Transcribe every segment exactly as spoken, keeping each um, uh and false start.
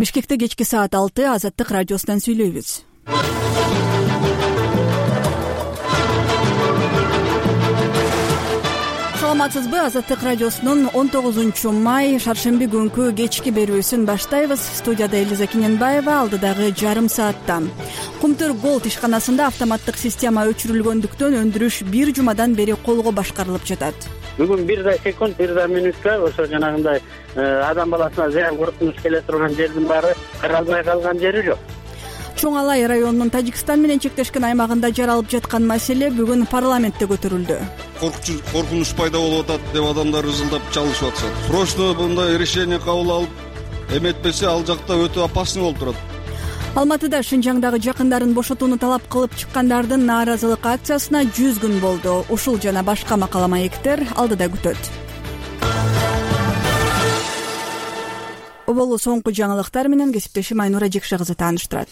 Бишкекте кечки саат алты Азаттык радиосунан сүйлөйбүз. Саламатсызбы? Азаттык радиосунун он тогузунчу май шаршемби күнкү кечки берүүсүн баштайбыз. Студияда Элиза Киненбаева, алдыдагы жарым саатта. Кумтөр Голд ишканасында автоматтык система өчүрүлгөндүктөн өндүрүш бир жумадан бери колго башкарылып жатат. Бүгүн бир да секунд, бир да мүнөткө ошо жанагындай адам баласына зыян коркунуч келе турган жердин баары каралбай калган жери жок. Чоң Алай районунун Тажикстан менен чектешкен аймагында жаралып жаткан маселе бүгүн парламентте көтөрүлдү. Коркунуч пайда болуп атат деп адамдар ызылдап чалышып атышат. Срочно мындай решение кабыл алып, эметпесе ал жакта өтө опасный болуп турат. Алматыда Шынжаңдагы жакындарын бошотууну талап кылып чыккандардын нааразылык акциясына жүз күн болду. Ушул жана башка макала маектер алдыда күтөт. Оболу соңку жаңылыктар менен кесиптешим Айнура Жекше кызы тааныштырат.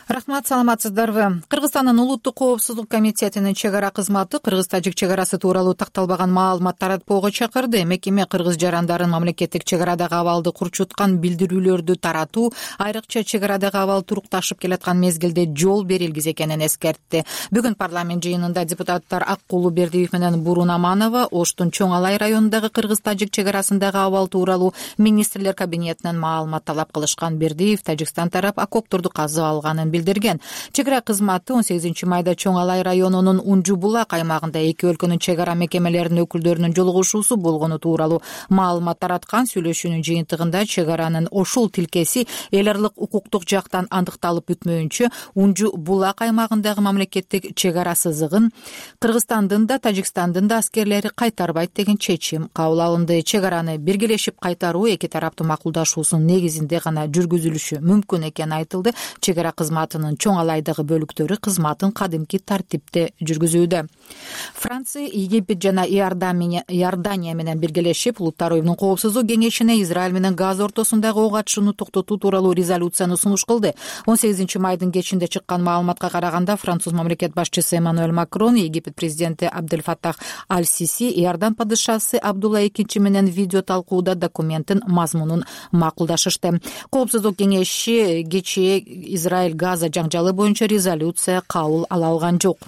Рахмат, саламатсыздарбы? Кыргызстандын улуттук коопсуздук комитетинин чек ара кызматы кыргыз-тажик чек арасы тууралуу такталбаган маалымат таратпоого чакырды. Мекеме кыргыз жарандарын мамлекеттик чек арадагы абалды курчуткан билдирүүлөрдү таратуу, айрыкча чек арадагы абал турукташып келаткан мезгилде жол берилгиз экенин эскертти. Бүгүн парламент жыйынында депутаттар Аккулу Бердиев менен Бурун Аманова Оштун Чоң Алай районундагы кыргыз-тажик чек арасындагы абал тууралуу министрлер кабинетинен маалымат талап кылышкан. Бердиев Тажикстан тарап окопторду казып алганын билдирген. Чек ара кызматы он сегизинчи майда Чоң Алай районунун Унжу Булак аймагында эки өлкөнүн чек ара мекемелеринин өкүлдөрүнүн жолугушуусу болгону тууралуу маалымат тараткан. Сүйлөшүүнүн жыйынтыгында чек аранын ушул тилкеси эл аралык укуктук жактан андыкталып бүтмөйүнчө Унжу Булак аймагындагы мамлекеттик чек ара сызыгын Кыргызстандын да Тажикстандын да аскерлери кайтарбайт деген чечим кабыл алынды. Чек араны биргелешип кайтаруу эки тараптын макулдашуусунун негизинде гана жүргүзүлүшү мүмкүн экени айтылды. Чек ара кызматы Чоң Алайдагы бөлүктөрү кызматын кадимки тартипте жүргүзүүдө. Франция, Египет жана Иордания менен биргелешип Улуттар уюмунун коопсуздук кеңешине Израиль менен Газа ортосундагы ок атышууну токтотуу тууралуу резолюцияны сунуш кылды. он сегизинчи майдын кечинде чыккан маалыматка караганда француз мамлекет башчысы Эммануэль Макрон, Египет президенти Абдель Фаттах Аль-Сиси, Иордан падышасы Абдулла экинчи менен видео талкууда документтин мазмунун макулдашышты. Коопсуздук кеңеши кечээ Израиль Газа жаңжалы боюнча резолюция кабыл ала алган жок.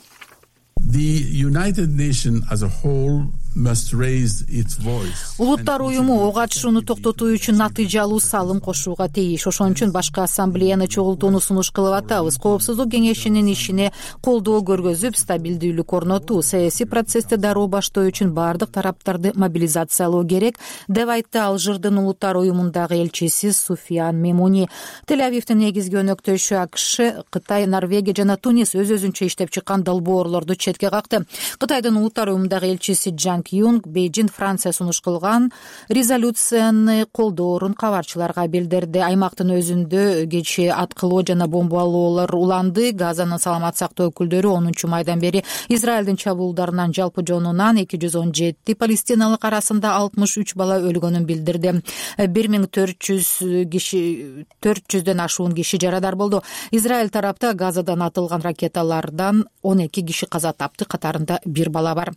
Улуттар уюму ок атышууну токтотуу үчүн натыйжалуу салым кошууга тийиш. Ошон үчүн башка ассамблеяны чогултууну сунуш кылып атабыз. Коопсуздук кеңешинин ишине колдоо көргөзүп, стабилдүүлүк орнотуу, саясий процессти дароо баштоо үчүн баардык тараптарды мобилизациялоо керек, деп айтты Алжирдин Улуттар уюмундагы элчиси Суфиян Мемуни. Тель-Авивдин негизги өнөктөшү АКШ, Кытай, Норвегия жана Тунис өз-өзүнчө иштеп чыккан долбоорлорду четке какты. Кытайдын Улуттар уюмундагы элчиси Джан Юнг Бейжин Франция сунуш кылган резолюцияны колдоорун кабарчыларга билдирди. Аймактын өзүндө кечээ аткылоо жана бомбалоолор уланды. Газанын саламат сактоо өкүлдөрү онунчу майдан бери Израилдин чабуулдарынан жалпы жонунан эки жүз он жети палестиналык арасында алтымыш үч бала өлгөнүн билдирди. бир миң төрт жүз киши төрт жүздөн ашуун киши жарадар болду. Израиль тарапта Газадан атылган ракеталардан он эки киши каза тапты, катарында бир бала бар.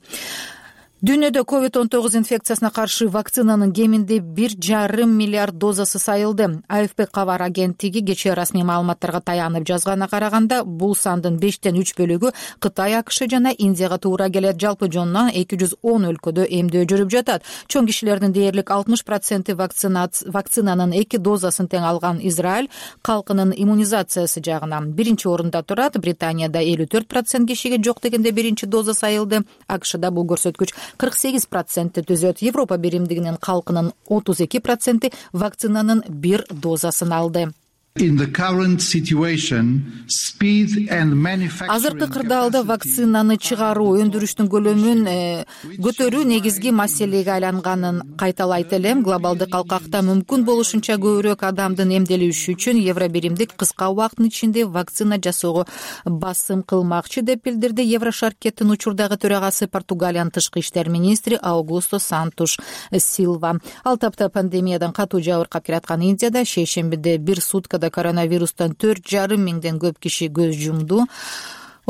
Дүйнөдө ковид он тогуз инфекциясына каршы вакцинанын кеминде бир жарым миллиард дозасы сайылды. А Ф П кабар агенттиги кечээ расмий маалыматтарга таянып жазганына караганда, бул сандын бештен үч бөлүгү Кытай, АКШ жана Индияга туура келет. Жалпы жонунан эки жүз он өлкөдө эмдөө жүрүп жатат. Чоң кишилердин дээрлик алтымыш проценти вакцинанын эки дозасын тең алган Израиль калкынын иммунизациясы жагынан биринчи орунда турат. Британияда элүү төрт процент кишиге жок дегенде биринчи доза сайылды. АКШда бул көрсөткүч кырк сегиз процентти түзөт. Европа биримдигинин калкынын отуз эки проценти вакцинанын бир дозасын алды. Азыркы кырдаалда вакцинаны чыгаруу, өндүрүштүн көлөмүн көтөрүү негизги маселеге айланганын кайталайт элем. Глобалдык алкакта мүмкүн болушунча көбүрөөк адамдын эмделиши үчүн Евробиримдик кыска убакыттын ичинде вакцина жасоого басым кылмакчы, деп билдирди Еврошаркеттин учурдагы төрагасы Португалиянын тышкы иштер министри Аугусто Сантуш Силва. Ал тапта пандемиядан катуу жабыркап келаткан Индияда шейшембиде бир суткада коронавирустан төрт жарым миңден көп киши көз жумду.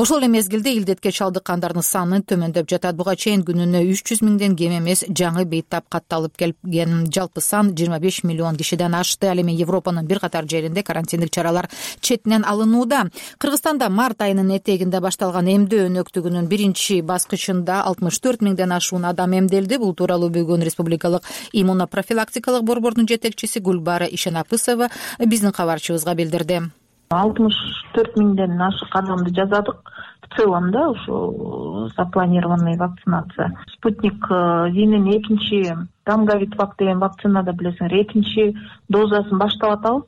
Ошол эле мезгилде илдетке чалдыккандардын саны төмөндөп жатат. Буга чейин күнүнө үч жүз миңден кем эмес жаңы бейтап катталып келген. Жалпы сан жыйырма беш миллион кишиден ашты. Ал эми Европанын бир катар жеринде карантиндик чаралар четинен алынууда. Кыргызстанда март айынын этегинде башталган эмдөө өнөктүгүнүн биринчи баскычында алтымыш төрт миңден ашуун адам эмделди. Бул тууралуу бүгүн Республикалык иммунопрофилактикалык борбордун жетекчиси Гүлбара Ишенапысова биздин кабарчыбызга билдирди. алтымыш төрт миңден ашык адамды жасадык в целом, да, ушу запланированный вакцинация. Спутник Винин экинчи Гамгавитвак деген вакцинада билесиңер экинчи дозасын баштап атабыз.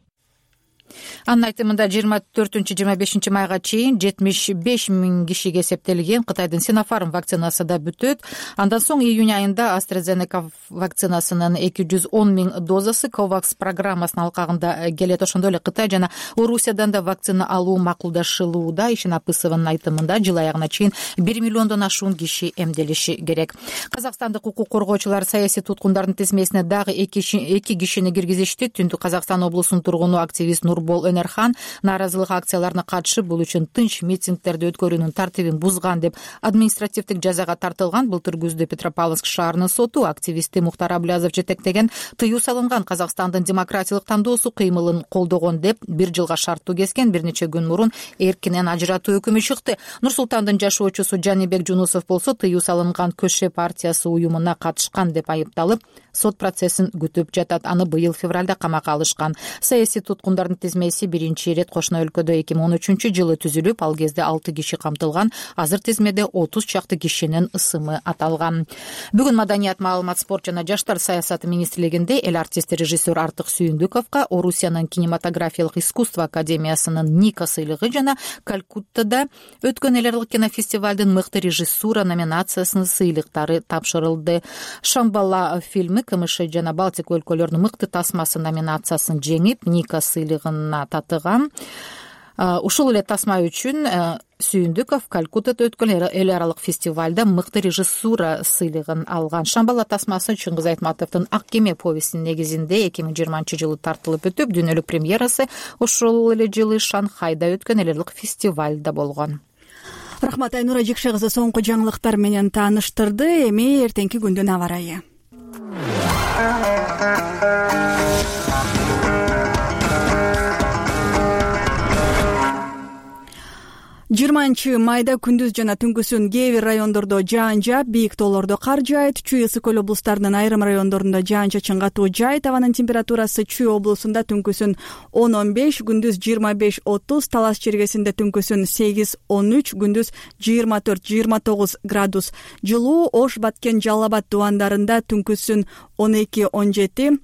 Анын айтымында жыйырма төртүнчү жыйырма бешинчи майга чейин жетимиш беш миң кишиге эсептелген. Кытайдын Синофарм вакцинасы да бүтөт. Андан соң июнь айында AstraZeneca вакцинасынын эки жүз он миң дозасы Covax программасынын алкагында келет. Ошондой эле Кытай жана Орусиядан да вакцина алуу макулдашылууда. Ишенапысованын айтымында жыл аягына чейин бир миллиондон ашуун киши эмделиши керек. Казакстандык укук коргоочулар саясий туткундардын тизмесине дагы эки кишини киргизишти. Түндүк Казакстан облусунун тургуну активист Нурбол Өнерхан нааразылык акцияларына катышып, бул үчүн тынч митингдерди өткөрүүнүн тартибин бузган деп административдик жазага тартылган. Былтыр күздө Петропавловск шаарынын соту активисти Мухтар Аблязов жетектеген тыюу салынган Казакстандын демократиялык тандоосу кыймылын колдогон деп бир жылга шарттуу кескен. Бир нече күн мурун эркинен ажыратуу өкүмү чыкты. Нур Султандын жашоочусу Жанибек Жунусов болсо тыюу салынган Көше партиясы уюмуна катышкан деп айыпталып, сот процессин күтүп жатат. Аны быйыл февралда камакка алышкан. Саясий туткундардын тизмеси биринчи ирет кошуна өлкөдө эки миң он үчүнчү жылы түзүлүп, ал кезде алты киши камтылган. Азыр тизмеде отуз чакты кишинин ысымы аталган. Бүгүн Маданият, маалымат, спорт жана жаштар саясаты министрлигинде эл артисти режиссер Артык Сүйүндүковго Орусиянын кинематографиялык искусство академиясынын Ника сыйлыгы жана Калькуттада өткөн эл аралык кинофестивалдын мыкты режиссура номинациясынын сыйлыктары тапшырылды. Шамбала фильми КМШ жана Балтика өлкөлөрүнүн мыкты тасмасы номинациясын жеңип, Ника сыйлыгына татыган. Ушул эле тасма үчүн Сүйүндүков Калькуттада өткөн эл аралык фестивалда мыкты режиссура сыйлыгын алган. Шамбала тасмасы Чыңгыз Айтматовдун Ак кеме повестинин негизинде эки миң жыйырманчы жылы тартылып өтүп, дүйнөлүк премьерасы ошол эле жылы Шанхайда өткөн эл аралык фестивалда болгон. Рахмат, Айнура Жекше кызы соңку жаңылыктар менен тааныштырды. Эми эртеңки күндүн аба ырайы. жыйырманчы майда күндүз жана түнкүсүн кээ бир райондордо жаан жаап, бийик тоолордо кар жаайт. Чүй ысык көл облустарынын айрым райондорунда жаан-чачын катуу жаайт. Абанын температурасы Чүй облусунда түнкүсүн он он беш, күндүз жыйырма беш отуз, Талас чергесинде түнкүсүн сегиз он үч, күндүз жыйырма төрт жыйырма тогуз градус жылуу. Ош, Баткен, Жалал Абад дубандарында түнкүсүн он эки он жети,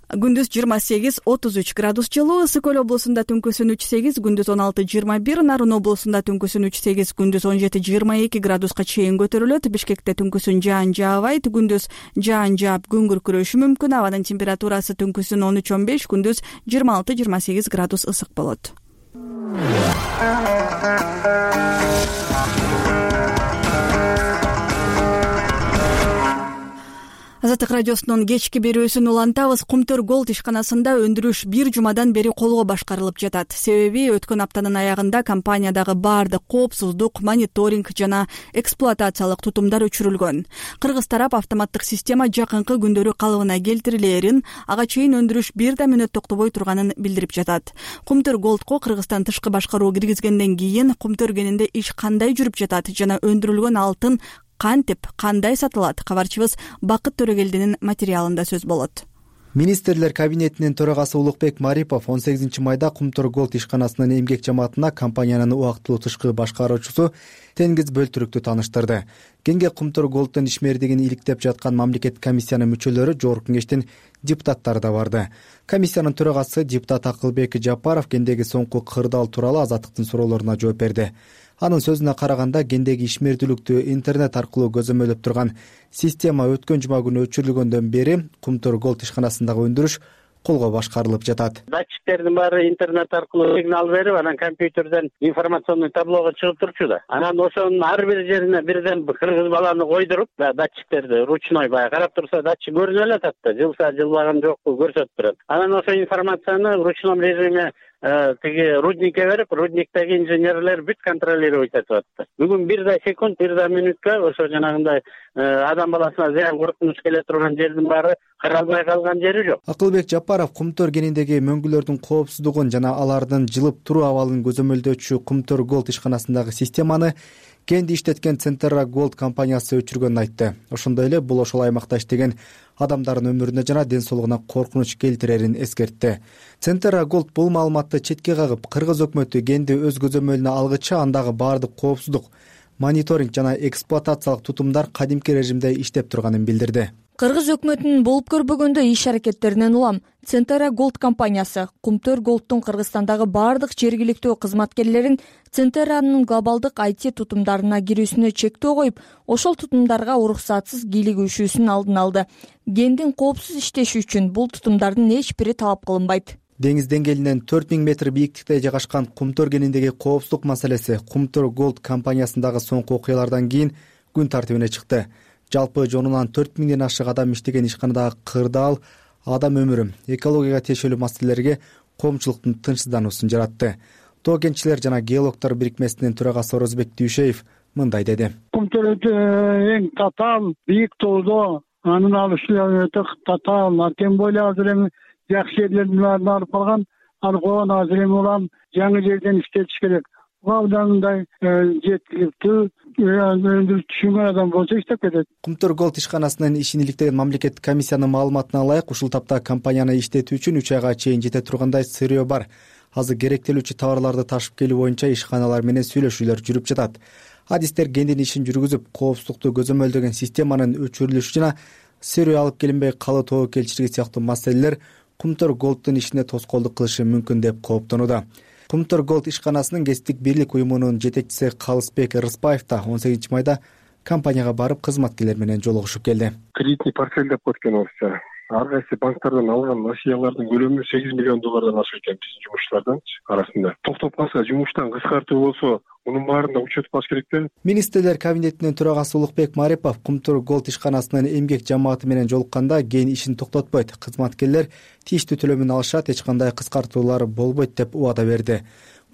күндүз жыйырма сегиз отуз үч градус жылуу. Ысык көл облусунда түнкүсүн үч сегиз, күндүз он алты жыйырма бир, Нарын облусунда түнкүсүн үч сегиз, күндүз он жети жыйырма эки градуска чейин көтөрүлөт. Бишкекте түнкүсүн жаан жаабайт, күндүз жаан жаап күн күркүрөшү мүмкүн. Абанын температурасы түнкүсүн он үч он беш, күндүз жыйырма алты жыйырма сегиз градус ысык болот. Азаттык радиосунун кечки берүүсүн улантабыз. Кумтөр Голд ишканасында өндүрүш бир жумадан бери колго башкарылып жатат. Себеби өткөн аптанын аягында компаниядагы баардык коопсуздук, мониторинг жана эксплуатациялык тутумдар өчүрүлгөн. Кыргыз тарап автоматтык система жакынкы күндөрү калыбына келтирилээрин, ага чейин өндүрүш бир да мүнөт токтобой турганын билдирип жатат. Кумтөр Голдко Кыргызстан тышкы башкаруу киргизгенден кийин Кумтөр кенинде иш кандай жүрүп жатат жана өндүрүлгөн алтын кантип, кандай сатылат? Кабарчыбыз Бакыт Төрөгелдинин материалында сөз болот. Министрлер кабинетинин төрагасы Улукбек Марипов он сегизинчи майда Кумтөр Голд ишканасынын эмгек жамаатына компаниянын убактылуу тышкы башкаруучусу Тенгиз Бөлтүрүктү тааныштырды. Кеңге Кумтөр Голддун ишмердигин иликтеп жаткан мамлекеттик комиссиянын мүчөлөрү, Жогорку Кеңештин депутаттары да барды. Комиссиянын төрагасы депутат Акылбек Жапаров кендеги соңку кырдаал тууралуу Азаттыктын суроолоруна жооп берди. Анын сөзүнө караганда, кендеги ишмердүүлүктү интернет аркылуу көзөмөлдөп турган система өткөн жума күнү өчүрүлгөндөн бери Кумтөр Голд ишканасындагы өндүрүш колго башкарылып жатат. Датчиктердин баары интернет аркылуу сигнал берип, анан компьютерден информационный таблого чыгып турчу да. Анан ошонун ар бир жерине бирден кыргыз баланы койдуруп, датчиктерди ручной баягы карап турса, датчик көрүнүп эле атат да, жылса жылбаган жокпу көрсөтүп турат. Анан ошол информацияны в ручном режиме тиги рудникке берип, рудниктеги инженерлер бүт контролировать этип атты. Бүгүн бир да секунд, бир да мүнөткө ошо жанагындай адам баласына зыян коркунуч келе турган жердин баары каралбай калган жери жок. Акылбек Жапаров Кумтөр кенендеги мөңгүлөрдүн коопсуздугун жана алардын жылып туруу абалын көзөмөлдөөчү Кумтөр Голд ишканасындагы системаны кенди иштеткен Центерра Голд компаниясы өчүргөнүн айтты. Ошондой эле бул ошол аймакта иштеген адамдардын өмүрүнө жана ден соолугуна коркунуч келтирерин эскертти. Центерра Голд бул маалыматты четке кагып, кыргыз өкмөтү кенди өз көзөмөлүнө алгыча андагы баардык коопсуздук, мониторинг жана эксплуатациялык тутумдар кадимки режимде иштеп турганын билдирди. Кыргыз өкмөтүнүн болуп көрбөгөндө иш аракеттеринен улам Центерра Голд компаниясы Кумтөр Голдтун Кыргызстандагы баардык жергиликтүү кызматкерлерин Центерранын глобалдык ай ти тутумдарына кирүүсүнө чектөө коюп, ошол тутумдарга уруксатсыз кийлигүүшүүсүнүн алдын алды. Гендин коопсуз иштеши үчүн бул тутумдардын эч бири талап кылынбайт. Деңиз деңгээлинен төрт миң метр бийиктикте жайгашкан Кумтөр кенендеги коопсуздук маселеси Кумтөр Голд компаниясындагы соңку окуялардан кийин күн тартибине чыкты. Жалпы жонунан төрт миңден ашык адам иштеген ишканадагы кырдаал адам өмүрү, экологияга тиешелүү маселелерге коомчулуктун тынчсыздануусун жаратты. Тоо кентчилер жана геологдор бирикмесинин төрагасы Орозбек Дүйшеев мындай деди. Кумтөр эң татаал, бийик тоодо, анын алышы өтө татаал, тем более азыр эми жакшы жерлердин баарын алып калган, алкогон азыр эми улам жаңы жерден иштетиш керек. Абданындай жеткиликтүү өндүрүп түшүнгөн адам болсо иштеп кетет. Кумтөр Голд ишканасынын ишин иликтеген мамлекеттик комиссиянын маалыматына ылайык, ушул тапта компанияны иштетүү үчүн үч айга чейин жете тургандай сырьё бар. Азыр керектелүүчү товарларды ташып келүү боюнча ишканалар менен сүйлөшүүлөр жүрүп жатат. Адистер кендин ишин жүргүзүп, коопсуздукту көзөмөлдөгөн системанын өчүрүлүшү жана сырьё алып келинбей калуу тобокелчилиги сыяктуу маселелер Кумтөр Голдтун ишине тоскоолдук кылышы мүмкүн деп кооптонууда. Кумтөр Голд ишканасынын кесиптик бирлик уюмунун жетекчиси Калысбек Рыспаев да он сегизинчи майда компанияга барып кызматкерлер менен жолугушуп келди. Кредитный портфель деп коет экен орусча. Ар кайсы банктардан алган несиелердин көлөмү сегиз миллион доллардан ашык экен биздин жумушчулардын арасында. Токтоп калса, жумуштан кыскартуу болсо, мунун баарын да учет алыш керек да. Министрлер кабинетинин төрагасы Улукбек Марипов Кумтөр Голд ишканасынын эмгек жамааты менен жолукканда кийин ишин токтотпойт, кызматкерлер тийиштүү төлөмүн алышат, эч кандай кыскартуулар болбойт деп убада берди.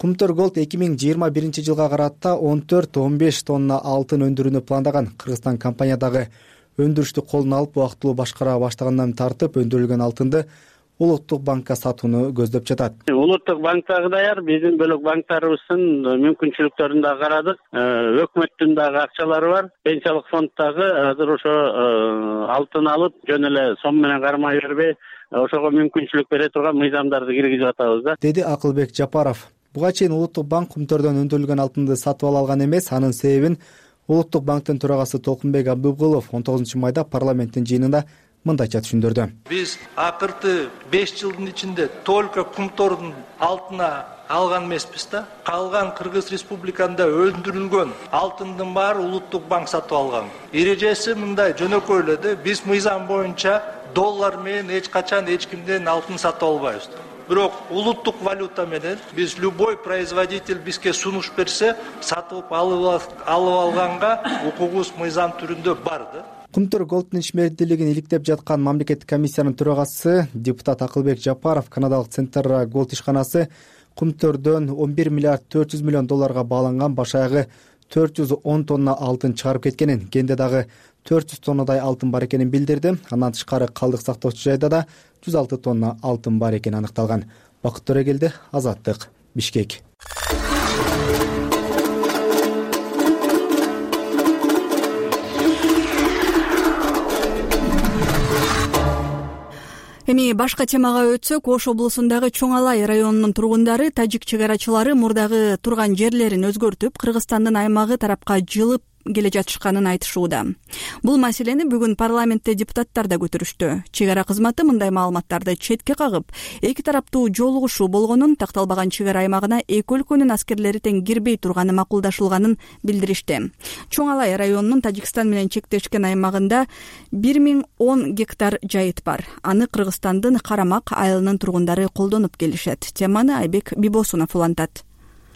Кумтөр Голд эки миң жыйырма биринчи жылга карата он төрт он беш тонна алтын өндүрүүнү пландаган. Кыргызстан компаниядагы өндүрүштү колуна алып убактылуу башкара баштагандан тартып өндүрүлгөн алтынды Улуттук банкка сатууну көздөп жатат. Улуттук банктагы даяр, биздин бөлөк банктарыбыздын мүмкүнчүлүктөрүн да карадык. Өкмөттүн дагы акчалары бар. Пенсиялык фонддагы азыр ошо алтын алып, жөн эле сом менен кармай бербей, ошого мүмкүнчүлүк бере турган мыйзамдарды киргизип атабыз да. Деди Акылбек Жапаров. Буга чейин Улуттук банк Кумтөрдөн өндүрүлгөн алтынды сатып ала алган эмес. Анын себебин Улуттук банктын төрагасы Толкунбек Абдыгулов он тогузунчу майда парламенттин жыйынында мындайча түшүндүрдү. Биз акыркы беш жылдын ичинде только Кумтордун алтына алган эмеспиз да. Калган Кыргыз Республикасында өндүрүлгөн алтындын баары Улуттук банк сатып алган. Эрежеси мындай жөнөкөй эле да. Биз мыйзам боюнча доллар менен эч качан эч кимден алтын сатып албайбыз. Бирок улуттук валюта менен биз любой производитель бизге сунуш берсе, сатып алып алганга укугубуз мыйзам түрүндө бар да. Кумтөр Голдтун ишмердүүлүгүн иликтеп жаткан мамлекеттик комиссиянын төрагасы депутат Акылбек Жапаров канадалык Центерра Голд ишканасы Кумтөрдөн он бир миллиард төрт жүз миллион долларга бааланган башаягы төрт жүз он тонна алтын чыгарып кеткенин, кенде дагы төрт жүз тоннадай алтын бар экенин билдирди. Андан тышкары калдык сактоочу жайда да жүз алты тонна алтын бар экени аныкталган. Бакыт Төрөгелди, Азаттык, Бишкек. Эми башка темага өтсөк, Ош облусундагы Чоң Алай районунун тургундары тажик чек арачылары мурдагы турган жерлерин өзгөртүп, Кыргызстандын аймагы тарапка жылып келе жатышканын айтышууда. Бул маселени бүгүн парламентте депутаттар да көтөрүштү. Чек ара кызматы мындай маалыматтарды четке кагып, эки тараптуу жолугушуу болгонун, такталбаган чек ара аймагына эки өлкөнүн аскерлери тең кирбей турганы макулдашылганын билдиришти. Чоң Алай районунун Тажикстан менен чектешкен аймагында бир миң он гектар жайыт бар. Аны Кыргызстандын Карамак айылынын тургундары колдонуп келишет. Теманы Айбек Бибосунов улантат.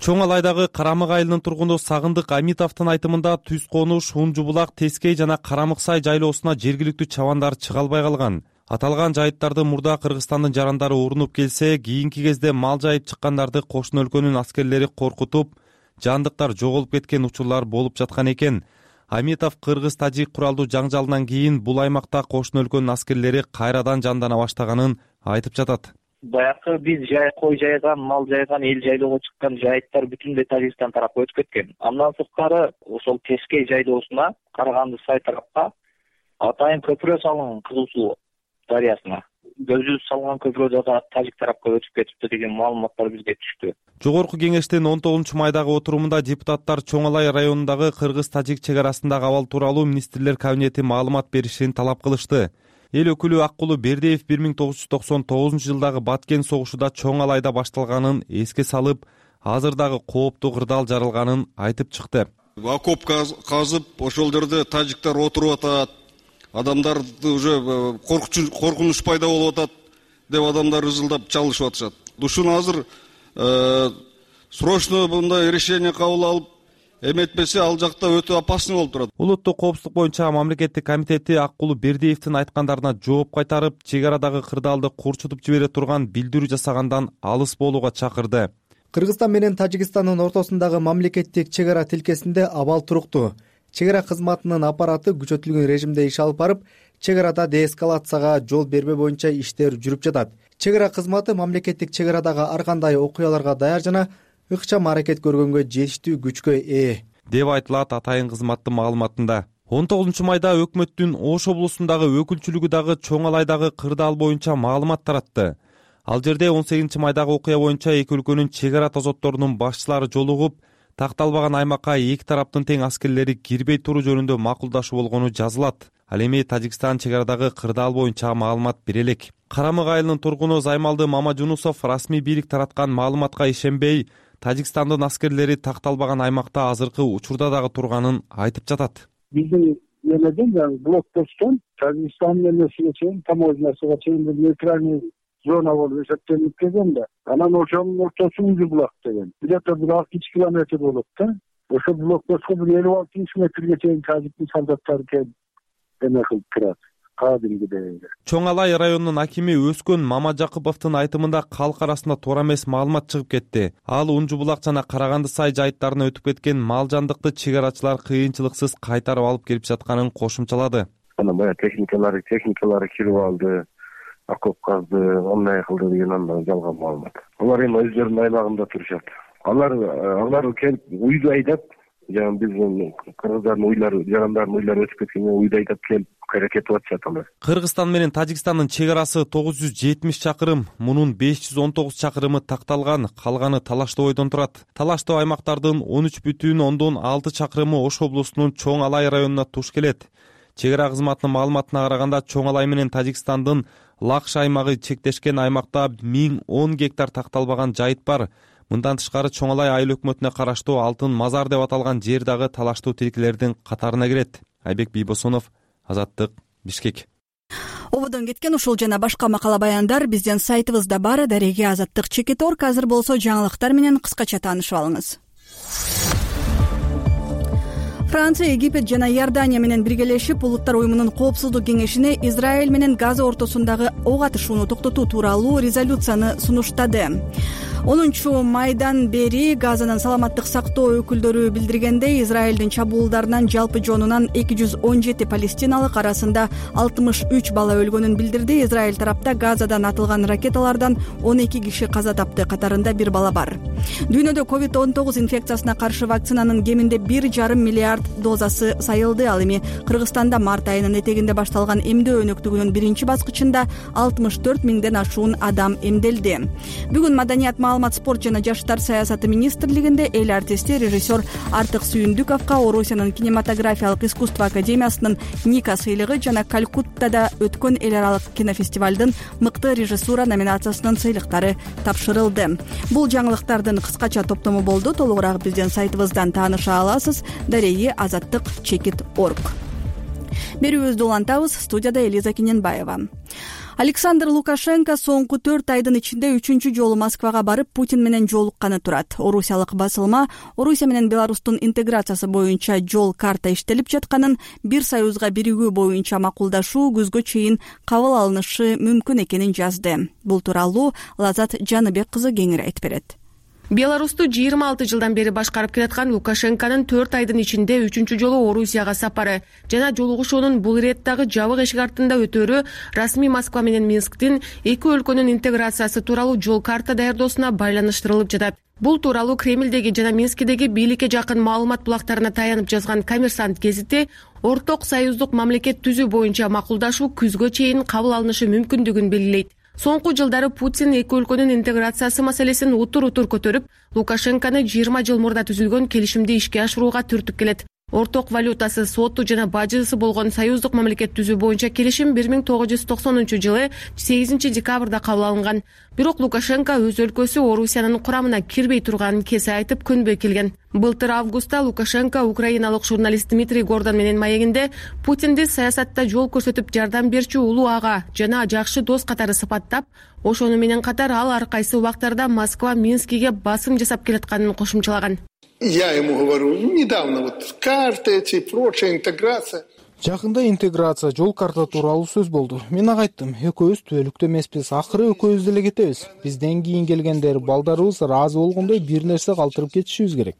Чоң Алайдагы Карамак айылынын тургуну Сагындык Амитовдун айтымында Түз Конуш, Унжу Булак, Тескей жана Карамык сай жайлоосуна жергиликтүү чабандар чыга албай калган. аталган жайыттарды мурда Кыргызстандын жарандары урунуп келсе, кийинки кезде мал жайып чыккандарды кошуна өлкөнүн аскерлери коркутуп, жандыктар жоголуп кеткен учурлар болуп жаткан экен. Аметов кыргыз-тажик куралдуу жаңжалынан кийин бул аймакта кошуна өлкөнүн аскерлери кайрадан жандана баштаганын айтып жатат. Баягы биз жай кой жайган, мал жайган, эл жайлоого чыккан жайыттар бүтүндөй Тажикстан тарапка өтүп кеткен. Андан сырткары ошол Тескей жайлоосуна, Караганды Сай тарапка атайын көпүрө салынган Кызыл Суу дарыясына. Көзүбүз салган көпүрө дагы Тажик тарапка өтүп кетипти деген маалыматтар бизге түштү. Жогорку кеңештин он тогузунчу майдагы отурумунда депутаттар Чоң Алай районундагы кыргыз-тажик чек арасындагы абал тууралуу министрлер кабинети маалымат беришин талап кылышты. Эл өкүлү Аккулу Бердиев бир миң тогуз жүз токсон тогузунчу жылдагы Баткен согушуда Чоң Алайда башталганын эске салып, азыр дагы кооптуу кырдаал жаралганын айтып чыкты. Окоп казып, ошол жерде тажиктер отуруп атат. Адамдарды уже коркунуч пайда болуп атат деп адамдар ызылдап чалышып атышат. Ушуну азыр срочно мындай решение кабыл алып, эметпесе ал жакта өтө опасный болуп турат. Улуттук коопсуздук боюнча мамлекеттик комитети Аккулу Бердиевдин айткандарына жооп кайтарып, чек арадагы кырдаалды курчутуп жибере турган билдирүү жасагандан алыс болууга чакырды. Кыргызстан менен Тажикстандын ортосундагы мамлекеттик чек ара тилкесинде абал турукту. Чек ара кызматынын аппараты күчөтүлгөн режимде иш алып барып, чек арада деэскалацияга жол бербөө боюнча иштер жүрүп жатат. Чек ара кызматы мамлекеттик чек арадагы ар кандай окуяларга даяр жана ыкчам аракет көргөнгө жетиштүү күчкө ээ деп айтылат атайын кызматтын маалыматында. он тогузунчу майда өкмөттүн Ош облусундагы өкүлчүлүгү дагы Чоң Алайдагы кырдаал боюнча маалымат таратты. Ал жерде он сегизинчи майдагы окуя боюнча эки өлкөнүн чек ара тозотторунун башчылары жолугуп, такталбаган аймакка эки тараптын тең аскерлери кирбей туруу жөнүндө макулдашуу болгону жазылат. Ал эми Тажикстан чек арадагы кырдаал боюнча маалымат бере элек. Карамык айылынын тургуну Займалды Мамажунусов расмий бийлик тараткан маалыматка ишенбей, Тажикстандын аскерлери такталбаган аймакта азыркы учурда дагы турганын айтып жатат. Биздин эмеден жаңы блокпосттон Тажикстан эмесине чейин, таможнясына чейин нейтральный зона болуп эсептелип келген да. Анан ошонун ортосу Узу булак деген. Где-то бир алты жүз километр болот да. Ошо блокпостко бир элүү алты жүз метрге чейин Тажиктин солдаттары келип эме кылып турат. Чоң Алай районунун акими Өскөн Мамажакыповдун айтымында калк арасында туура эмес маалымат чыгып кетти. Ал Унжу булак жана Караганды Сай жайыттарына өтүп кеткен мал жандыкты чек арачылар кыйынчылыксыз кайтарып алып келип жатканын кошумчалады. Анан баягы техникалары техникалары кирип алды, окоп казды, ондай кылды деген андан жалган маалымат. Алар эми өздөрүнүн аймагында турушат. Алар алар келип уйду айдап, жана биздин кыргыздардын уйлары, жарандардын уйлары өтүп кеткенде уйду айдап келип аракет кылып атышат алар. Кыргызстан менен Тажикстандын чек арасы тогуз жүз жетимиш чакырым, мунун беш жүз он тогуз чакырымы такталган, калганы талаштуу бойдон турат. Талаштуу аймактардын он үч бүтүн ондон алты чакырымы Ош облусунун Чоң Алай районуна туш келет. Чек ара кызматынын маалыматына караганда Чоң Алай менен Тажикстандын Лакш аймагы чектешкен аймакта миң он гектар такталбаган жайыт бар. Мындан тышкары Чоң Алай айыл өкмөтүнө караштуу Алтын Мазар деп аталган жер дагы талаштуу тилкелердин катарына кирет. Айбек Бийбосонов, Азаттык, Бишкек. Ободон кеткен ушул жана башка макала баяндар биздин сайтыбызда бар. Дареги Азаттык чекит точка орг. Азыр болсо жаңылыктар менен кыскача таанышып алыңыз. Франция, Египет жана Иордания менен биргелешип Улуттар уюмунун коопсуздук кеңешине Израиль менен Газа ортосундагы ок атышууну токтотуу тууралуу резолюцияны сунуштады. онунчу майдан бери Газанын саламаттык сактоо өкүлдөрү билдиргендей, Израилдин чабуулдарынан жалпы жонунан эки жүз он жети палестиналык, арасында алтымыш үч бала өлгөнүн билдирди. Израиль тарапта Газадан атылган ракеталардан он эки киши каза тапты, катарында бир бала бар. Дүйнөдө ковид он тогуз инфекциясына каршы вакцинанын кеминде бир жарым миллиард дозасы сайылды. Ал эми Кыргызстанда март айынын этегинде башталган эмдөө өнөктүгүнүн биринчи баскычында алтымыш төрт миңден ашуун адам эмделди. Бүгүн Маданият, маалымат, спорт жана жаштар саясаты министрлигинде эл артисти, режиссер Артык Сүйүндүковго Орусиянын кинематографиялык искусство академиясынын Ника сыйлыгы жана Калькуттада өткөн эл аралык кинофестивалдын мыкты режиссура номинациясынын сыйлыктары тапшырылды. Бул жаңылыктардын кыскача топтому болду. Толугураак биздин сайтыбыздан тааныша аласыз. Дареги Азаттык чекит точка орг. Берүүбүздү улантабыз. Студияда Элиза Киненбаева. Александр Лукашенко соңку төрт айдын ичинде үчүнчү жолу Москвага барып Путин менен жолукканы турат. Орусиялык басылма Орусия менен Беларустун интеграциясы боюнча жол карта иштелип жатканын, бир союзга биригүү боюнча макулдашуу күзгө чейин кабыл алынышы мүмкүн экенин жазды. Бул тууралуу Лазат Жаныбек кызы кеңири айтып берет. Беларусту жыйырма алты жылдан бери башкарып келаткан Лукашенконун төрт айдын ичинде үчүнчү жолу Орусияга сапары жана жолугушуунун бул иреттагы жабык эшик артында өтөөрү расмий Москва менен Минсктин эки өлкөнүн интеграциясы тууралуу жол карта даярдоосуна байланыштырылып жатат. Бул тууралуу Кремлдеги жана Минскидеги бийликке жакын маалымат булактарына таянып жазган Коммерсант гезити орток союздук мамлекет түзүү боюнча макулдашуу күзгө чейин кабыл алынышы мүмкүндүгүн белгилейт. Соңку жылдары Путин эки өлкөнүн интеграциясы маселесин утур-утур көтөрүп, Лукашенкону жыйырма жыл мурда түзүлгөн келишимди ишке ашырууга түртүп келет. Орток валютасы, соту жана бажысы болгон союздук мамлекет түзүү боюнча келишим бир миң тогуз жүз токсонунчу жылы сегизинчи декабрда кабыл алынган. Бирок Лукашенко өз өлкөсү Орусиянын курамына кирбей турганын кесе айтып көнбөй келген. Былтыр августта Лукашенко украиналык журналист Дмитрий Гордон менен маегинде Путинди саясатта жол көрсөтүп жардам берчү улуу ага жана жакшы дос катары сыпаттап, ошону менен катар ал ар кайсы убактарда Москва Минскиге басым жасап келатканын кошумчалаган. Я ему говорю, недавно вот карты эти, прочая интеграция. Жакында интеграция, жол карта тууралуу сөз болду. Мен ага айттым, экөөбүз түбөлүктө эмеспиз, акыры экөөбүз деле кетебиз. Бизден кийин келгендер, балдарыбыз ыраазы болгондой бир нерсе калтырып кетишибиз керек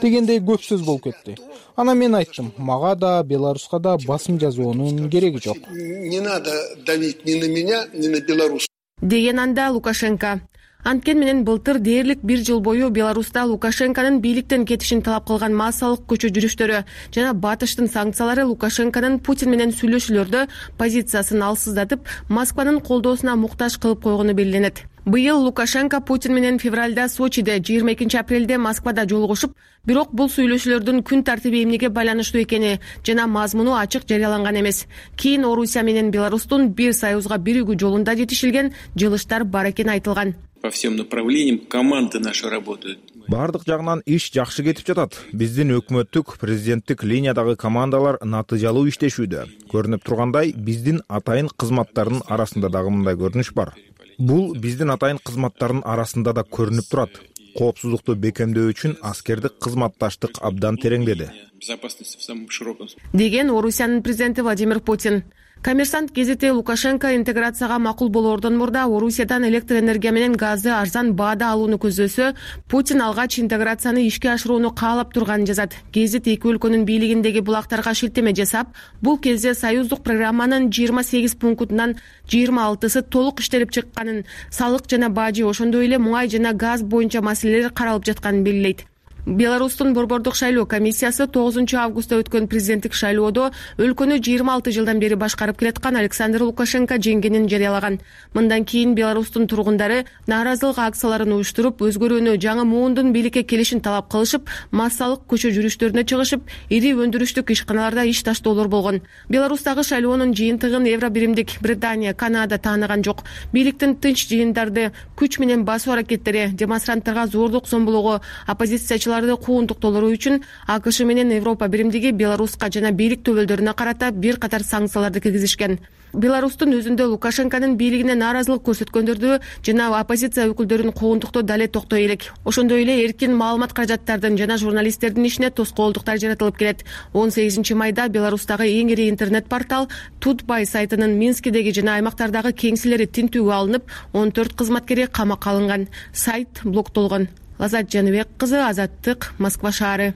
дегендей көп сөз болуп кетти. Анан мен айттым, мага да, Беларуска да басым жасоонун кереги жок. Не надо давить ни на меня, ни на Беларусь. Деген анда Лукашенко. Анткен менен былтыр дээрлик бир жыл бою Беларуста Лукашенконун бийликтен кетишин талап кылган массалык көчө жүрүштөрү жана батыштын санкциялары Лукашенконун Путин менен сүйлөшүүлөрдө позициясын алсыздатып, Москванын колдоосуна муктаж кылып койгону белгиленет. Быйыл Лукашенко Путин менен февралда Сочиде, жыйырма экинчи апрелде Москвада жолугушуп, бирок бул сүйлөшүүлөрдүн күн тартиби эмнеге байланыштуу экени жана мазмуну ачык жарыяланган эмес. Кийин Орусия менен Беларустун бир союзга биригүү жолунда жетишилген жылыштар бар экени айтылган. По всем направлениям команды наши работают. Бардык жагынан иш жакшы кетип жатат. Биздин өкмөттүк, президенттик линиядагы командалар натыйжалуу иштешүүдө. Көрүнүп тургандай, биздин атайын кызматтардын арасында дагы мындай көрүнүш бар. Бул биздин атайын кызматтардын арасында да көрүнүп турат. Коопсуздукту бекемдөө үчүн аскердик кызматташтык абдан тереңдеди. Безопасность в самом широком. Деген Орусиянын президенти Владимир Путин. Коммерсант гезити Лукашенко интеграцияга макул болоордон мурда Орусиядан электр энергия менен газды арзан баада алууну көздөсө, Путин алгач интеграцияны ишке ашырууну каалап турганын жазат. Гезит эки өлкөнүн бийлигиндеги булактарга шилтеме жасап, бул кезде союздук программанын жыйырма сегиз пунктунан жыйырма алтысы толук иштелип чыкканын, салык жана бажы, ошондой эле муңай жана газ боюнча маселелер каралып жатканын белгилейт. Беларустун борбордук шайлоо комиссиясы тогузунчу августта өткөн президенттик шайлоодо өлкөнү жыйырма алты жылдан бери башкарып келаткан Александр Лукашенко жеңгенин жарыялаган. Мындан кийин Беларустун тургундары нааразылык акцияларын уюштуруп, өзгөрүүнү, жаңы муундун бийликке келишин талап кылышып, массалык көчө жүрүштөрүнө чыгышып, ири өндүрүштүк ишканаларда иш таштоолор болгон. Беларустагы шайлоонун жыйынтыгын Евро биримдик Британия, Канада тааныган жок. Бийликтин тынч жыйындарды, күч менен басуу аракеттери, демонстранттарга зордук зомбулугу, оппозициячылар кууntуктоолору үчүн АКШ менен Европа биримдиги Беларуска жана бийлик төбөлдөрүнө карата бир катар санкцияларды киргизишкен. Беларустун өзүндө Лукашенконун бийлигине нааразылык көрсөткөндөрдү жана оппозиция өкүлдөрүн кууntуктоо дале токтой элек. Ошондой эле эркин маалымат каражаттардын жана журналисттердин ишине тоскоолдуктар жаратылып келет. он сегизинчи майда Беларустагы эң ири интернет портал Тутбай сайтынын Минскидеги жана аймактардагы кеңселери тинтүүгө алынып, он төрт кызматкери камакка алынган. Сайт блоктолгон. Лазат Жаныбек кызы, Азаттык, Москва шаары.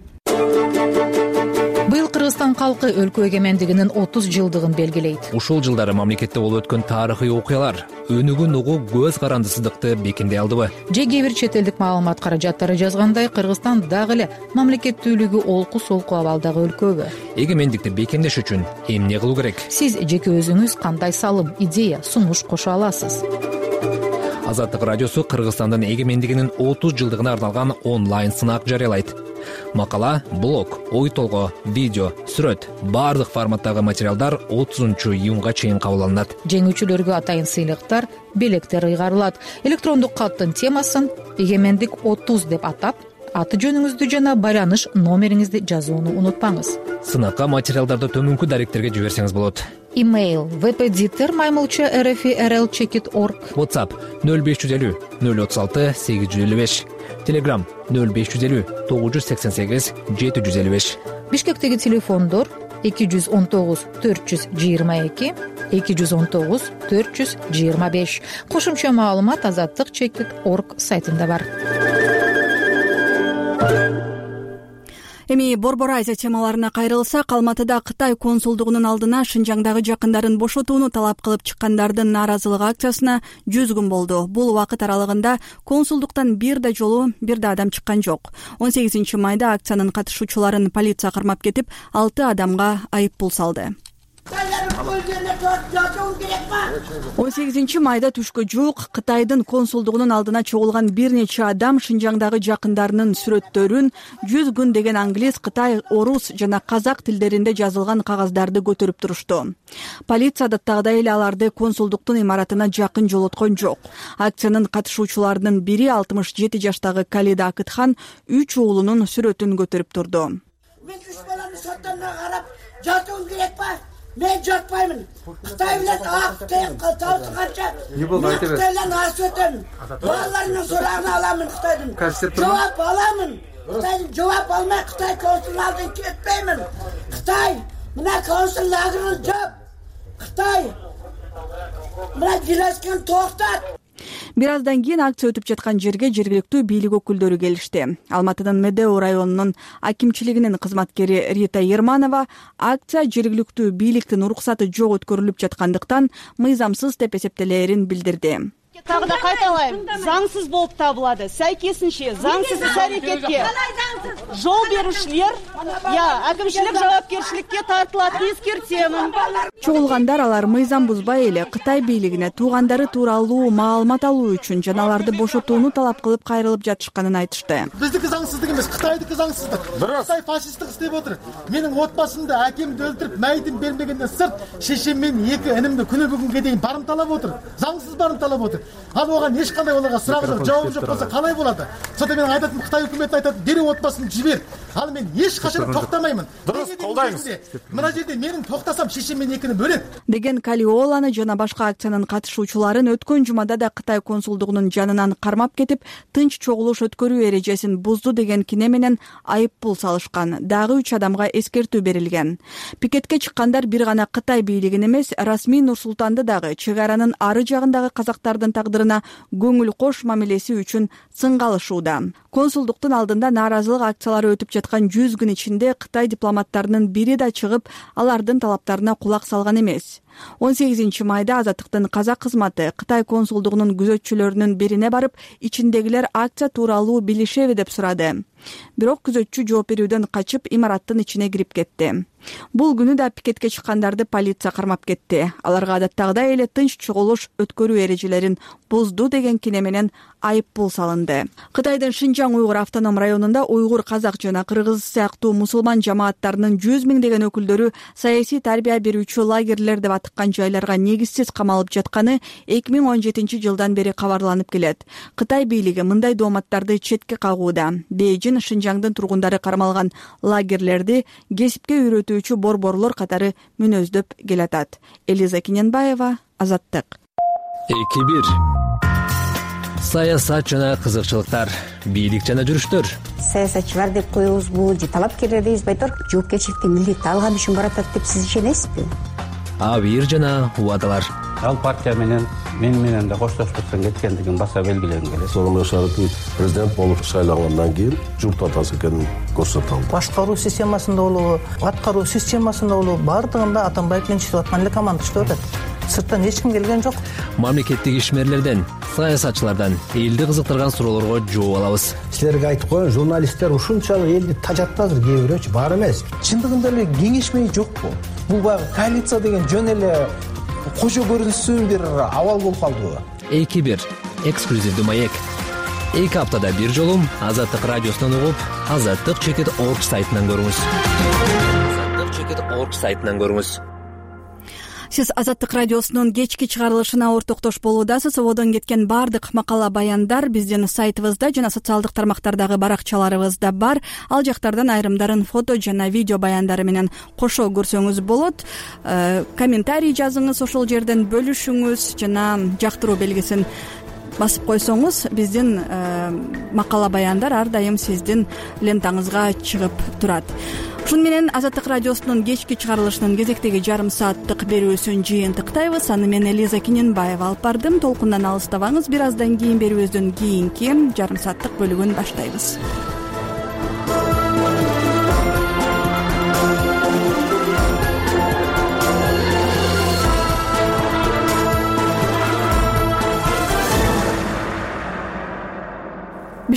Быйыл Кыргызстан калкы өлкө эгемендигинин отуз жылдыгын белгилейт. Ушул жылдары мамлекетте болуп өткөн тарыхый окуялар өнүгүүн угуу көз карандысыздыкты бекемдей алдыбы? Же кээ бир чет элдик маалымат каражаттары жазгандай, Кыргызстан дагы эле мамлекеттүүлүгү олку-солку абалдагы өлкөбү? Эгемендикти бекемдеш үчүн эмне кылуу керек? Сиз жеке өзүңүз кандай салым, идея, сунуш кошо аласыз? Азаттык радиосу Кыргызстандын эгемендигинин отуз жылдыгына арналган онлайн сынак жарыялайт. Макала, блог, ой толгоо, видео, сүрөт, баардык форматтагы материалдар отузунчу июнга чейин кабыл алынат. Жеңүүчүлөргө атайын сыйлыктар, белектер ыйгарылат. Электрондук каттын темасын эгемендик отуз деп атап, аты жөнүңүздү жана байланыш номериңизди жазууну унутпаңыз. Сынакка материалдарды төмөнкү даректерге жиберсеңиз болот. Имейл vpditr маймылча rfi.rl чекит org. WhatsApp нөл беш жүз элүү нөл отуз алты сегиз жүз элүү беш. Telegram нөл беш жүз элүү тогуз жүз сексен сегиз жети жүз элүү беш. Бишкектеги телефондор эки жүз он тогуз төрт жүз жыйырма эки эки жүз он тогуз төрт жүз жыйырма беш. Кошумча маалымат азаттык чекит org сайтында бар. Эми Борбор Азия темаларына кайрылсак, Алматыда Кытай консулдугунун алдына Шинжаңдагы жакындарын бошотууну талап кылып чыккандардын нааразылык акциясына жүз күн болду. Бул убакыт аралыгында консулдуктан бир да жолу бир да адам чыккан жок. он сегизинчи майда акциянын катышуучуларын полиция кармап кетип, алты адамга айып пул салды. он сегизинчи майда түшкө жуук Кытайдын консулдугунун алдына чогулган бир нече адам Шинжаңдагы жакындарынын сүрөттөрүн, жүз күн деген англис, кытай, орус жана казак тилдеринде жазылган кагаздарды көтөрүп турушту. Полиция адаттагыдай эле аларды консулдуктун имаратына жакын жолоткон жок. Акциянын катышуучуларынын бири алтымыш жети жаштагы Калида Акытхан үч уулунун сүрөтүн көтөрүп турду. Мен үч баламды соттонго карап жатуум керек ба? Мен жатпаймын. Кытай билет ак тен калталы канча. Мен Кытай билен арыз өтөмүн. Балаларымдын сурагын аламын Кытайдын. Жооп аламын. Кытайдын жооп алмай Кытай консулдугунун алдынан кетпеймин. Кытай мына консул лагерин жоп. Кытай мына жилескен токтот. Бир аздан кийин акция өтүп жаткан жерге жергиликтүү бийлик өкүлдөрү келишти. Алматынын Медео районунун акимчилигинин кызматкери Рита Ерманова акция жергиликтүү бийликтин уруксаты жок өткөрүлүп жаткандыктан мыйзамсыз деп эсептелээрин билдирди. Тагы да кайталайм, заңсыз болуп табылады. Сайкесинче заңсыз иш-аракетке жол берушилер я акимчилик жоопкерчиликке тартылат деп эскертемин. Чогулгандар алар мыйзам бузбай эле Кытай бийлигине туугандары тууралуу маалымат алуу үчүн жана аларды бошотууну талап кылып кайрылып жатышканын айтышты. Биздики заңсыздык эмес, Кытайдыкы заңсыздык. Кытай фашисттик иштеп отур. Менин отбасымды, акемди өлтүрүп, майдын бермегенден сырт шешем мен эки инимди күнү бүгүнгө дейин барымталап отур. Заңсыз барымталап отур. Ал оган эч кандай оларга сурагы жок, жообу жок болсо калай болот? Сонда мен айтатым, Кытай өкмөтү айтат, дереу отбасымды жибер. Ал мен эч качан токтомаймын. Дурус, колдойбуз. Мына жерде менин токтасам шешем мен экини бөлөт деген Калиоланы жана башка акциянын катышуучуларын өткөн жумада да Кытай консулдугунун жанынан кармап кетип, тынч чогулуш өткөрүү эрежесин бузду деген кине менен айып пул салышкан. Дагы үч адамга эскертүү берилген. Пикетке чыккандар бир гана Кытай бийлигин эмес, расмий Нур-Султанды дагы чек аранын ары жагындагы казактардын тагдырына көңүл кош мамилеси үчүн сынга алышууда. Консулдуктун алдында нааразылык акциялары өтүп жаткан жүз күн ичинде Кытай дипломаттарынын бири да чыгып, алардын талаптарына кулак салган эмес. он сегизинчи майда Азаттыктын казак кызматы Кытай консулдугунун күзөтчүлөрүнүн бирине барып, ичиндегилер акция тууралуу билишеби деп сурады. Бирок күзөтчү жооп берүүдөн качып, имараттын ичине кирип кетти. Бул күнү да пикетке чыккандарды полиция кармап кетти. Аларга адаттагыдай эле тынч чогулуш өткөрүү эрежелерин бузду деген кине менен айып пул салынды. Кытайдын Шинжаң уйгур автоном районунда уйгур, казак жана кыргыз сыяктуу мусулман жамааттарынын жүз миңдеген өкүлдөрү саясий тарбия берүүчү лагерлер деп атыккан жайларга негизсиз камалып жатканы эки миң он жетинчи жылдан бери кабарланып келет. Кытай бийлиги мындай дооматтарды четке кагууда. Бейжин Шинжаңдын тургундары кармалган лагерлерди кесипке үйрөтүүчү борборлор катары мүнөздөп келатат. Элиза Кененбаева, Азаттык. эки бир саясат жана кызыкчылыктар, бийлик жана жүрүштөр. Саясатчылар деп коебузбу же талапкерлер дейбизби айтор? Жоопкерчиликтин милдетти алган үчүн баратат деп сиз ишенесизби? Абийир жана убадалар. Ал партия менен мен менен да коштошпостон кеткендигин баса белгилегим келет. Сооронбай Шарипович президент болуп шайлангандан кийин журт атасы экенин көрсөтө алды. Башкаруу системасында болобу, аткаруу системасында болобу, бардыгында Атамбаев менен иштеп аткан эле команда иштеп атат. Сырттан эч ким келген жок. Мамлекеттик ишмерлерден, саясатчылардан элди кызыктырган суроолорго жооп алабыз. Силерге айтып коеюн, журналисттер ушунчалык элди тажатты азыр, кээ бирөөчү бар эмес. Чындыгында эле кеңешмей жокпу? Бул баягы коалиция деген жөн эле кошо көрүнсүн бир абал болуп калдыбы? эки бир эксклюзивдүү маек. эки аптада бир жолу Азаттык радиосунан угуп, азаттык чекит сайтынан көрүңүз. азаттык чекит сайтынан көрүңүз. сиз Азаттык радиосунун кечки чыгарылышына ортоктош болуудасыз. Ободон кеткен баардык макала баяндар биздин сайтыбызда жана социалдык тармактардагы баракчаларыбызда бар. Ал жактардан айрымдарын фото жана видео баяндары менен кошо көрсөңүз болот. Комментарий жазыңыз, ошол жерден бөлүшүңүз жана жактыруу белгисин басып койсоңуз биздин макала баяндар ар дайым сиздин лентаңызга чыгып турат. Ушун менен Азаттык радиосунун кечки чыгарылышынын кезектеги жарым сааттык берүүсүн жыйынтыктайбыз. Аны мен Элиза Киненбаева алып бардым. Толкундан алыстабаңыз. Бир аздан кийин берүүбүздүн кийинки жарым сааттык бөлүгүн баштайбыз.